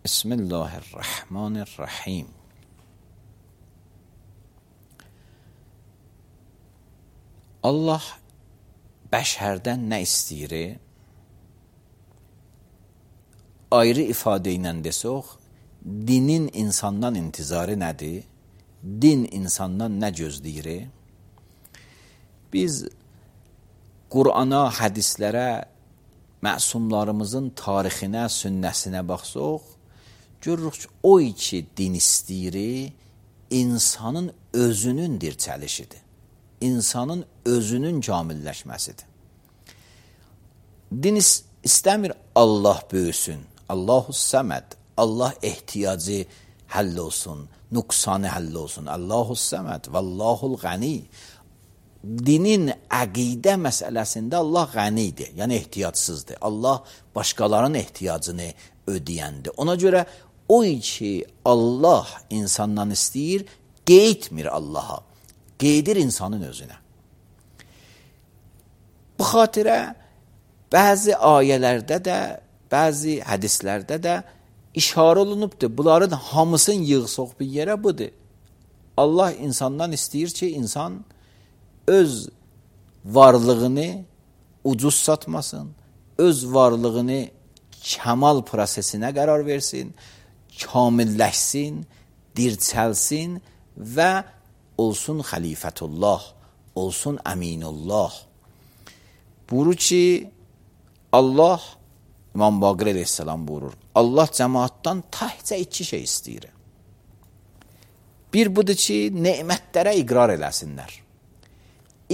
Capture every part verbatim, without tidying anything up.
Bismillahirrahmanirrahim. Allah bəşərdən nə istəyir? Ayrı ifadə ilə desək, dinin insandan intizarı nədir? Din insandan nə gözləyir? Biz Qur'ana, hədislərə, məsumlarımızın tarixinə, sünnəsinə baxsaq, görürük ki, o iki din istəyir, insanın özünün dirçəlişidir. İnsanın özünün kamilləşməsidir. Din istəmir Allah böyüsün, Allahu səməd, Allah ehtiyacı həll olsun, nüqsanı həll olsun, Allahu səməd, vallahul qəni. Dinin əqidə məsələsində Allah qənidir, yəni ehtiyacsızdır. Allah başqalarının ehtiyacını ödəyəndir. Ona görə o ki Allah insandan istəyir, qeydmir Allaha, qeydir insanın özünə. Bu xatirə bəzi ayələrdə də, bəzi hədislərdə də işarə olunubdur. Bunların hamısını yığsaq bir yerə budur. Allah insandan istəyir ki, insan öz varlığını ucuz satmasın, öz varlığını kəmal prosesinə qərar versin, kamilləşsin, dirçəlsin və olsun xəlifətullah, olsun əminullah. Buyurur ki, Allah, İmam Baqir əleyhissalam buyurur, Allah cəmaatdan təhcə iki şey istəyir. Bir budur ki, nemətlərə iqrar eləsinlər.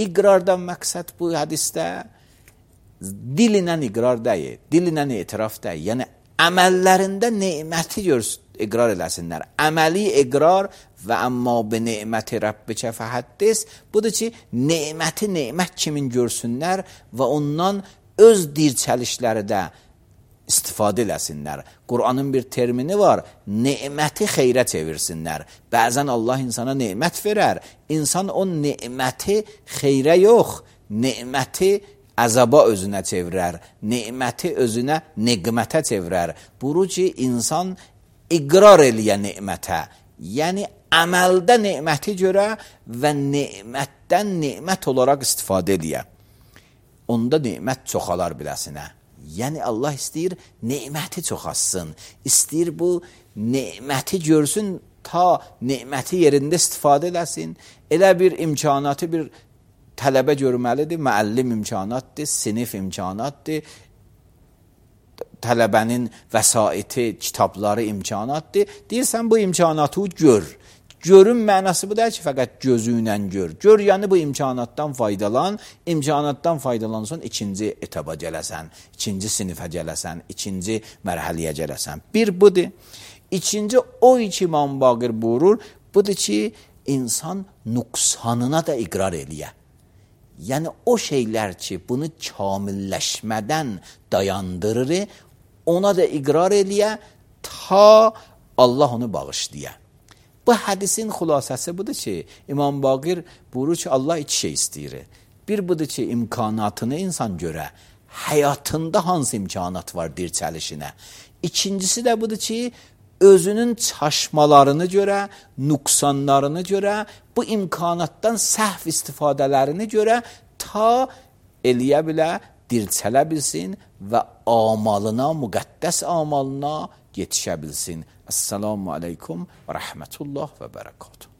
İqrardan məqsəd bu hədisdə dilinə iqrar deyil, dilinə etiraf deyil. Yəni, əməllərində neməti iqrar eləsinlər. Əməli iqrar və əmma bi neməti Rabbikə fəhəddis, budur ki, neməti nemət kimin görsünlər və ondan öz dirçəlişləri də istifadə eləsinlər. Qur'anın bir termini var, neməti xeyrə çevirsinlər. Bəzən Allah insana nemət verər, insan o neməti xeyrə yox, neməti əzaba özünə çevirər, neməti özünə neqmətə çevirər. Buyurur ki, insan iqrar eləyə nemətə, yəni əməldə neməti görə və nemətdən nemət olaraq istifadə eləyə. Onda nemət çoxalar biləsinə. Yəni Allah istəyir neməti çoxassın, istəyir bu neməti görsün, ta neməti yerində istifadə eləsin. Elə bir imkanatı bir tələbə görməlidir, müəllim imkanatdır, sinif imkanatdır, tələbənin vəsaiti, kitabları imkanatdır. Deyirsən bu imkanatı gör. Görün mənası bu deyil ki, fəqət gözü ilə gör. Gör, yəni bu imkanatdan faydalan, imkanatdan faydalansan, ikinci etaba gələsən, ikinci sinifə gələsən, ikinci mərhəliyə gələsən. Bir budur. İkinci, o iki İmam Baqir buyurur, budur ki, insan nüqsanına da iqrar eləyə. Yəni, o şeylər ki, bunu kamilləşmədən dayandırır, ona da iqrar eləyə, ta Allah onu bağışlıya. Bu hədisin xülasəsi budur ki, İmam Baqir buyurur ki, Allah iki şey istəyir. Bir budur ki, imkanatını insan görə, həyatında hansı imkanat var dirçəlişinə. İkincisi də budur ki, özünün çaşmalarını görə, nüqsanlarını görə, bu imkanatdan səhv istifadələrini görə ta eləyə bilə, dirçələ bilsin və amalına, müqəddəs amalına yetişə bilsin. Esselamu aleykum və rəhmətullah və bərəkatuhu.